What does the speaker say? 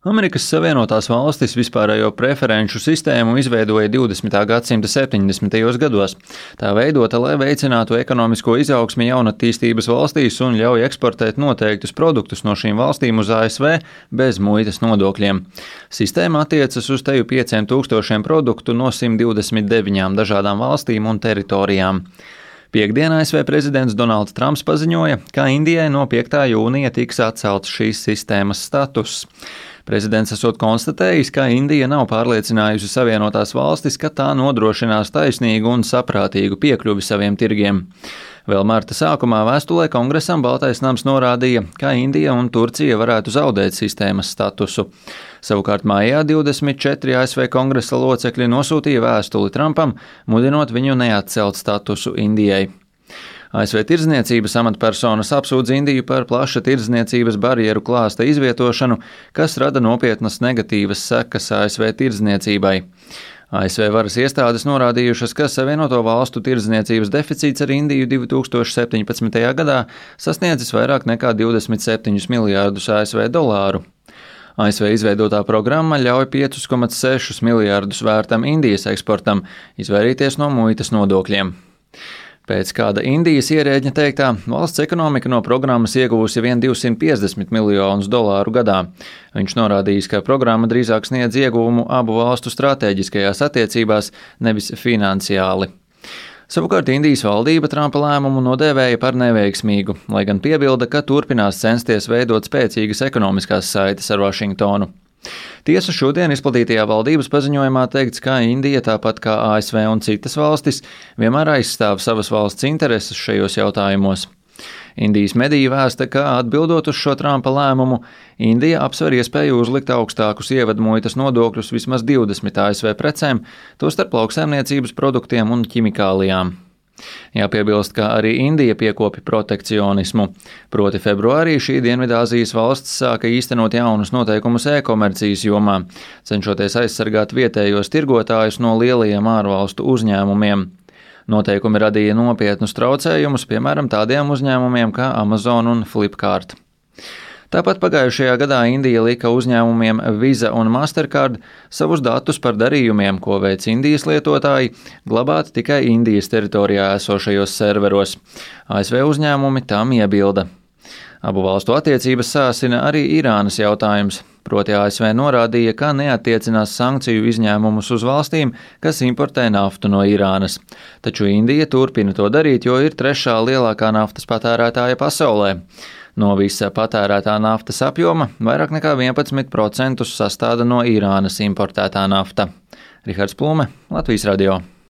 Amerikas Savienotās Valstis vispārējo preferenču sistēmu izveidoja 20. gadsimta 70. gados. Tā veidota, lai veicinātu ekonomisko izaugsmi jaunatīstības valstīs un ļauj eksportēt noteiktus produktus no šīm valstīm uz ASV bez muitas nodokļiem. Sistēma attiecas uz teju 5000 produktu no 129 dažādām valstīm un teritorijām. Piektdien ASV prezidents Donalds Trumps paziņoja, ka Indijai no 5. jūnija tiks atcelts šīs sistēmas status. Prezidents esot konstatējis, ka Indija nav pārliecinājusi Savienotās Valstis, ka tā nodrošinās taisnīgu un saprātīgu piekļuvi saviem tirgiem. Vēl marta sākumā vēstulē Kongresam Baltais nams norādīja, ka Indija un Turcija varētu zaudēt sistēmas statusu. Savukārt maijā 24 ASV kongresa locekļi nosūtīja vēstuli Trumpam, mudinot viņu neatcelt statusu Indijai. ASV tirdzniecības amatpersonas apsūdz Indiju par plaša tirdzniecības barjeru klāsta izvietošanu, kas rada nopietnas negatīvas sekas ASV tirdzniecībai. ASV varas iestādes norādījušas, ka Savienoto Valstu tirdzniecības deficīts ar Indiju 2017. gadā sasniedzis vairāk nekā 27 miljārdus ASV dolāru. ASV izveidotā programma ļauj 5,6 miljārdus vērtam Indijas eksportam izvairīties no muitas nodokļiem. Pēc kāda Indijas ierēģņa teiktā, valsts ekonomika no programmas ieguvusi vien 250 miljonus dolāru gadā. Viņš norādījis, ka programma drīzāk sniedz ieguvumu abu valstu stratēģiskajās attiecībās, nevis finansiāli. Savukārt Indijas valdība Trumpa lēmumu nodēvēja par neveiksmīgu, lai gan piebilda, ka turpinās censties veidot spēcīgas ekonomiskās saites ar Vašingtonu. Tiesa šodien izplatītajā valdības paziņojumā teikts, ka Indija, tāpat kā ASV un citas valstis, vienmēr aizstāv savas valsts intereses šajos jautājumos. Indijas mediji vēsta, ka atbildot uz šo Trumpa lēmumu, Indija apsver iespēju uzlikt augstākus ievedmuitas nodokļus vismaz 20 ASV precēm, tostarp lauksaimniecības produktiem un ķimikālijām. Jāpiebilst, ka arī Indija piekopja protekcionismu. Proti februārī šī Dienvidāzijas valsts sāka īstenot jaunus noteikumus e-komercijas jomā, cenšoties aizsargāt vietējos tirgotājus no lielajiem ārvalstu uzņēmumiem. Noteikumi radīja nopietnus traucējumus, piemēram, tādiem uzņēmumiem kā Amazon un Flipkart. Tāpat pagājušajā gadā Indija lika uzņēmumiem Visa un Mastercard savus datus par darījumiem, ko veic Indijas lietotāji, glabāt tikai Indijas teritorijā esošajos serveros. ASV uzņēmumi tam iebilda. Abu valstu attiecības sāsina arī Irānas jautājums. Proti ASV norādīja, ka neattiecinās sankciju izņēmumus uz valstīm, kas importē naftu no Irānas. Taču Indija turpina to darīt, jo ir 3. lielākā naftas patērētāja pasaulē. No visa patērētā naftas apjoma vairāk nekā 11% sastāda no Irānas importētā nafta. Rihards Plume, Latvijas radio.